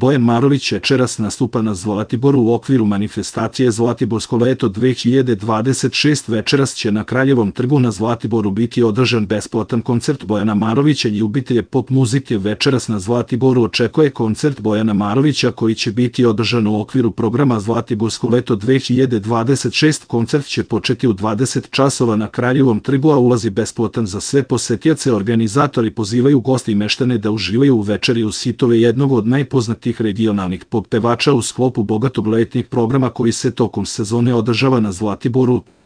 Bojan Marović večeras nastupa na Zlatiboru u okviru manifestacije Zlatiborsko leto 2026. Večeras će na Kraljevom trgu na Zlatiboru biti održan besplatan koncert Bojana Marovića i ljubitelje pop muzike. Večeras na Zlatiboru očekuje koncert Bojana Marovića koji će biti održan u okviru programa Zlatiborsko leto 2026. Koncert će početi u 20 časova na Kraljevom trgu, a ulaz je besplatan za sve posetioce. Organizatori pozivaju goste i meštane da uživaju u večeri uz hitove jednog od najpoznatijih regionalnih pop pevača u sklopu bogatog letnjeg programa koji se tokom sezone održava na Zlatiboru.